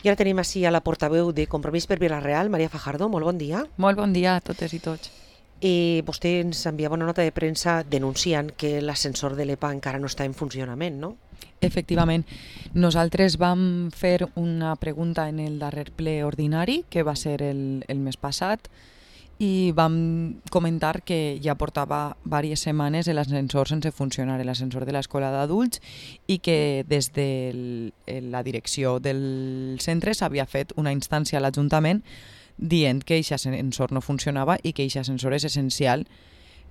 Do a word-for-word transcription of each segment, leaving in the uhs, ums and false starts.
I ara tenim així a la portaveu de Compromís per Vila-real, Maria Fajardo. Molt bon dia. Molt bon dia a totes i tots. I vostè ens enviava una nota de premsa denunciant que l'ascensor de l'E P A encara no està en funcionament, no? Efectivament, nosaltres vam fer una pregunta en el darrer ple ordinari, que va ser el, el mes passat, i vam comentar que ja portava diverses setmanes l'ascensor sense funcionar, l'ascensor de l'escola d'adults, i que des de la direcció del centre s'havia fet una instància a l'Ajuntament dient que aquest ascensor no funcionava i que aquest ascensor és essencial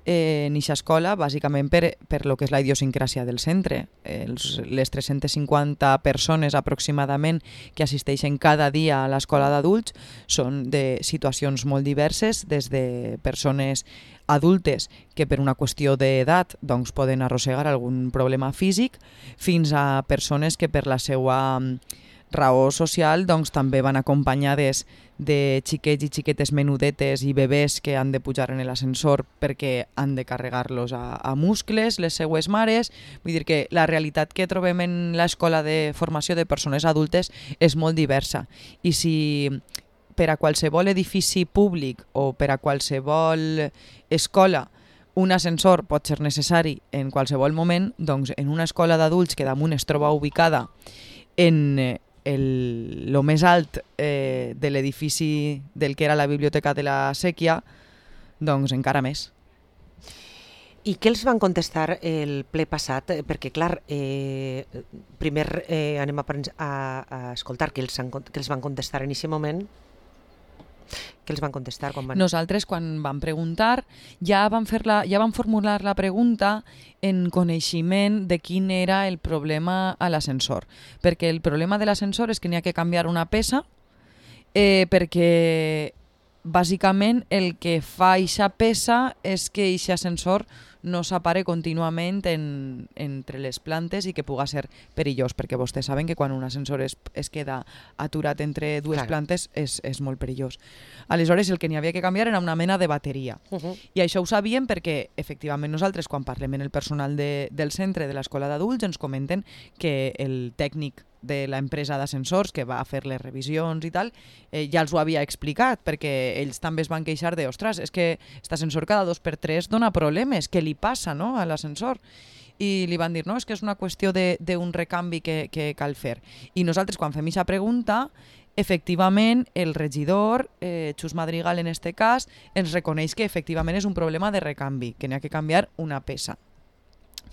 en aquesta escola, bàsicament per, per lo que és la idiosincràsia del centre. Els, les tres-centes cinquanta persones aproximadament que assisteixen cada dia a l'escola d'adults són de situacions molt diverses, des de persones adultes que per una qüestió d'edat doncs, poden arrossegar algun problema físic, fins a persones que per la seva raó social doncs, també van acompanyades de xiquets i xiquetes menudetes i bebès que han de pujar en l'ascensor perquè han de carregar-los a, a muscles, les seues mares. Vull dir que la realitat que trobem en l'escola de formació de persones adultes és molt diversa. I si per a qualsevol edifici públic o per a qualsevol escola un ascensor pot ser necessari en qualsevol moment, doncs en una escola d'adults que damunt es troba ubicada en el lo més alt eh, de l'edifici del que era la biblioteca de la Sèquia, doncs encara més. I què els van contestar el ple passat? Perquè, clar, eh, primer eh, anem a, a, a escoltar què els, han, què els van contestar en aquest moment. Què els van contestar? Quan van... Nosaltres, quan vam preguntar, ja vam, fer la, ja vam formular la pregunta en coneixement de quin era el problema a l'ascensor. Perquè el problema de l'ascensor és que n'hi ha que canviar una peça, eh, perquè bàsicament el que fa eixa peça és que eixe ascensor no s'apare contínuament en, entre les plantes i que puga ser perillós, perquè vostès saben que quan un ascensor es, es queda aturat entre dues claro. plantes és, és molt perillós. Aleshores el que n'hi havia que canviar era una mena de bateria. Uh -huh. I això ho sabíem perquè efectivament nosaltres quan parlem en el personal de, del centre de l'escola d'adults ens comenten que el tècnic de l'empresa d'ascensors que va fer les revisions i tal, eh, ja els ho havia explicat, perquè ells també es van queixar de, ostres, és que aquest ascensor cada dos per tres dona problemes, què li passa, no?, a l'ascensor? I li van dir, no, és que és una qüestió d'un recanvi que, que cal fer. I nosaltres, quan fem aquesta pregunta, efectivament, el regidor, eh, Xus Madrigal en este cas, ens reconeix que efectivament és un problema de recanvi, que n'hi ha que canviar una peça.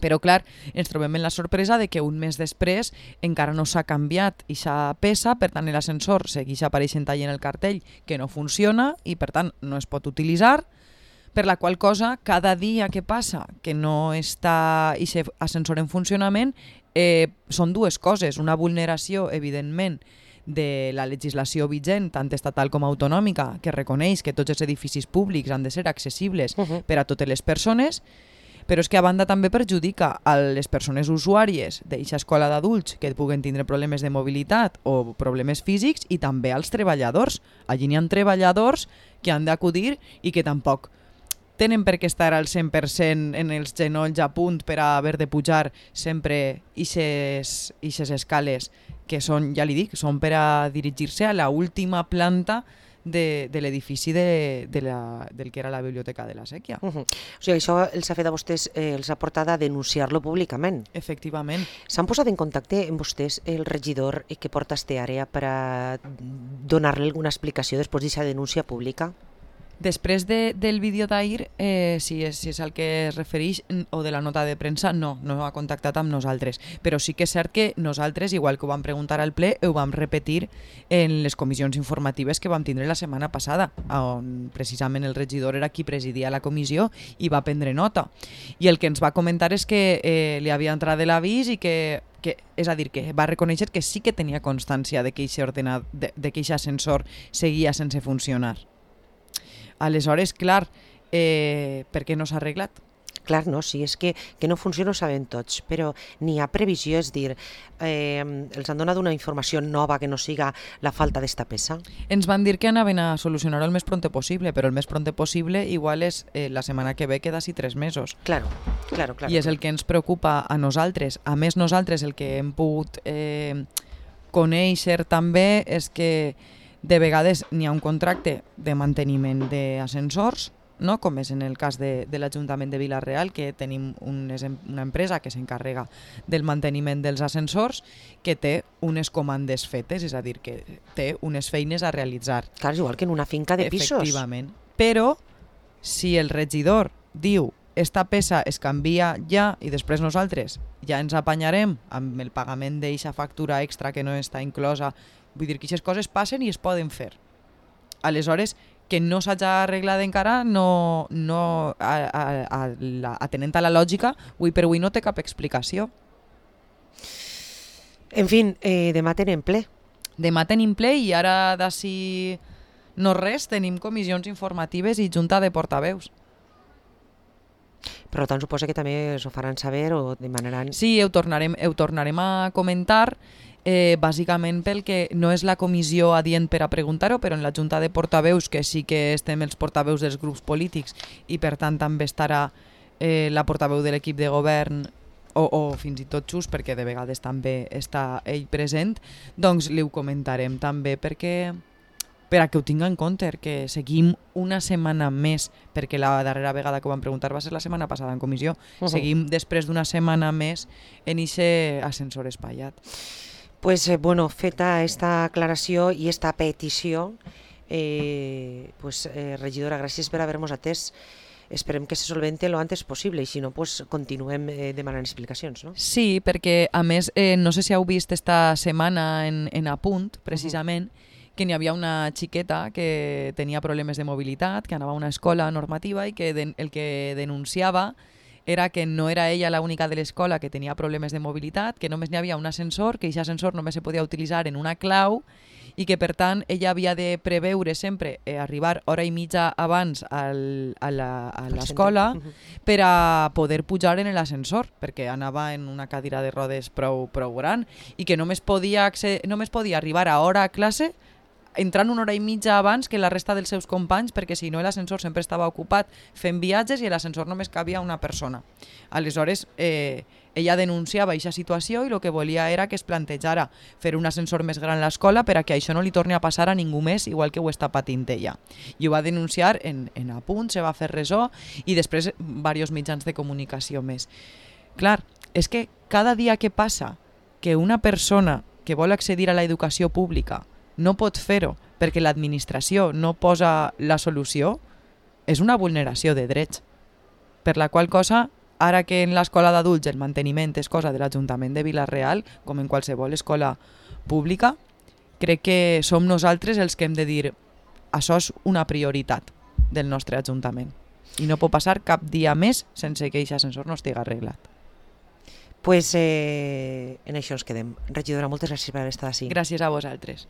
Però, clar, ens trobem en la sorpresa de que un mes després encara no s'ha canviat aquesta peça, per tant l'ascensor segueix apareixent allà en el cartell que no funciona i per tant no es pot utilitzar, per la qual cosa cada dia que passa que no està aquest ascensor en funcionament eh, són dues coses, una vulneració evidentment de la legislació vigent, tant estatal com autonòmica, que reconeix que tots els edificis públics han de ser accessibles uh-huh. per a totes les persones, però és que a banda també perjudica a les persones usuàries d'aquesta escola d'adults que puguen tindre problemes de mobilitat o problemes físics i també als treballadors. Allí n'hi ha treballadors que han d'acudir i que tampoc tenen per què estar al cent per cent en els genolls a punt per a haver de pujar sempre ixes escales que són, ja li dic, són per a dirigir-se a la última planta de, de l'edifici de, de la, del que era la biblioteca de la Sèquia. Uh -huh. O sigui, això els ha fet a vostès, eh, els ha portat a denunciar-lo públicament. Efectivament. S'han posat en contacte amb vostès el regidor que porta aquesta àrea per a donar-li alguna explicació després d'aquesta denúncia pública? Després de, del vídeo d'ahir, eh, si, és, si és al que es refereix, o de la nota de premsa, no, no ha contactat amb nosaltres. Però sí que és cert que nosaltres, igual que ho vam preguntar al ple, ho vam repetir en les comissions informatives que vam tindre la setmana passada, on precisament el regidor era qui presidia la comissió i va prendre nota. I el que ens va comentar és que eh, li havia entrat de l'avís i que Que, és a dir, que va reconèixer que sí que tenia constància de que aquest ascensor seguia sense funcionar. Aleshores, clar, eh, per què no s'ha arreglat? Clar, no, sí, és que, que no funciona ho sabem tots, però n'hi ha previsió, és dir, eh, els han donat una informació nova que no siga la falta d'esta peça? Ens van dir que anaven a solucionar-ho el més pronte possible, però el més pronte possible igual és eh, la setmana que ve, que d'ací tres mesos. Claro, claro, claro. I és el que ens preocupa a nosaltres. A més, nosaltres el que hem pogut... Eh, conèixer també és que de vegades n'hi ha un contracte de manteniment d'ascensors, no? Com és en el cas de, de l'Ajuntament de Vila-real, que tenim un, una empresa que s'encarrega del manteniment dels ascensors, que té unes comandes fetes, és a dir, que té unes feines a realitzar. Clar, és igual que en una finca de pisos. Efectivament. Però si el regidor diu esta peça es canvia ja i després nosaltres ja ens apanyarem amb el pagament d'eixa factura extra que no està inclosa, vull dir que aquestes coses passen i es poden fer. Aleshores, que no s'hagi arreglat encara, no, no, a, a, a la, atenent a la lògica, avui per avui no té cap explicació. En fi, eh, demà tenim ple. Demà tenim ple i ara d'ací no res, tenim comissions informatives i junta de portaveus. Per tant, suposa que també s'ho faran saber o demanaran... Sí, ho tornarem, ho tornarem a comentar, eh, bàsicament perquè no és la comissió adient per a preguntar-ho, però en la junta de portaveus, que sí que estem els portaveus dels grups polítics i per tant també estarà eh, la portaveu de l'equip de govern o, o fins i tot Xus, perquè de vegades també està ell present, doncs li ho comentarem també perquè... per a que ho tinga en compte, que seguim una setmana més, perquè la darrera vegada que ho vam preguntar va ser la setmana passada en comissió, uh-huh. seguim després d'una setmana més en ixe ascensor espaiat. Pues eh, bueno, feta esta aclaració i esta petició, eh, pues eh, regidora, gràcies per haver-nos atès. Esperem que se solvente lo antes possible i si no, pues continuem eh, demanant explicacions, no? Sí, perquè a més, eh, no sé si heu vist esta setmana en, en Apunt, precisament, uh-huh. que n'hi havia una xiqueta que tenia problemes de mobilitat, que anava a una escola normativa i que de, el que denunciava era que no era ella l'única de l'escola que tenia problemes de mobilitat, que només n'hi havia un ascensor, que aquest ascensor només se podia utilitzar en una clau i que per tant ella havia de preveure sempre eh, arribar hora i mitja abans al, a l'escola per a poder pujar en l'ascensor, perquè anava en una cadira de rodes prou, prou gran i que només podia, només podia arribar a hora a classe entrant una hora i mitja abans que la resta dels seus companys, perquè si no l'ascensor sempre estava ocupat fent viatges i l'ascensor només cabia una persona. Aleshores, eh, ella denunciava aquesta situació i el que volia era que es plantejara fer un ascensor més gran a l'escola per a que això no li torni a passar a ningú més, igual que ho està patint ella. I ho va denunciar en, en Apunt, se va fer ressò i després diversos mitjans de comunicació més. Clar, és que cada dia que passa que una persona que vol accedir a l'educació pública no pot fer-ho perquè l'administració no posa la solució, és una vulneració de drets. Per la qual cosa, ara que en l'escola d'adults el manteniment és cosa de l'Ajuntament de Vila-real, com en qualsevol escola pública, crec que som nosaltres els que hem de dir això és una prioritat del nostre Ajuntament. I no pot passar cap dia més sense que aquest ascensor no estigui arreglat. Pues eh, en això ens quedem. Regidora, moltes gràcies per haver estat així. Gràcies a vosaltres.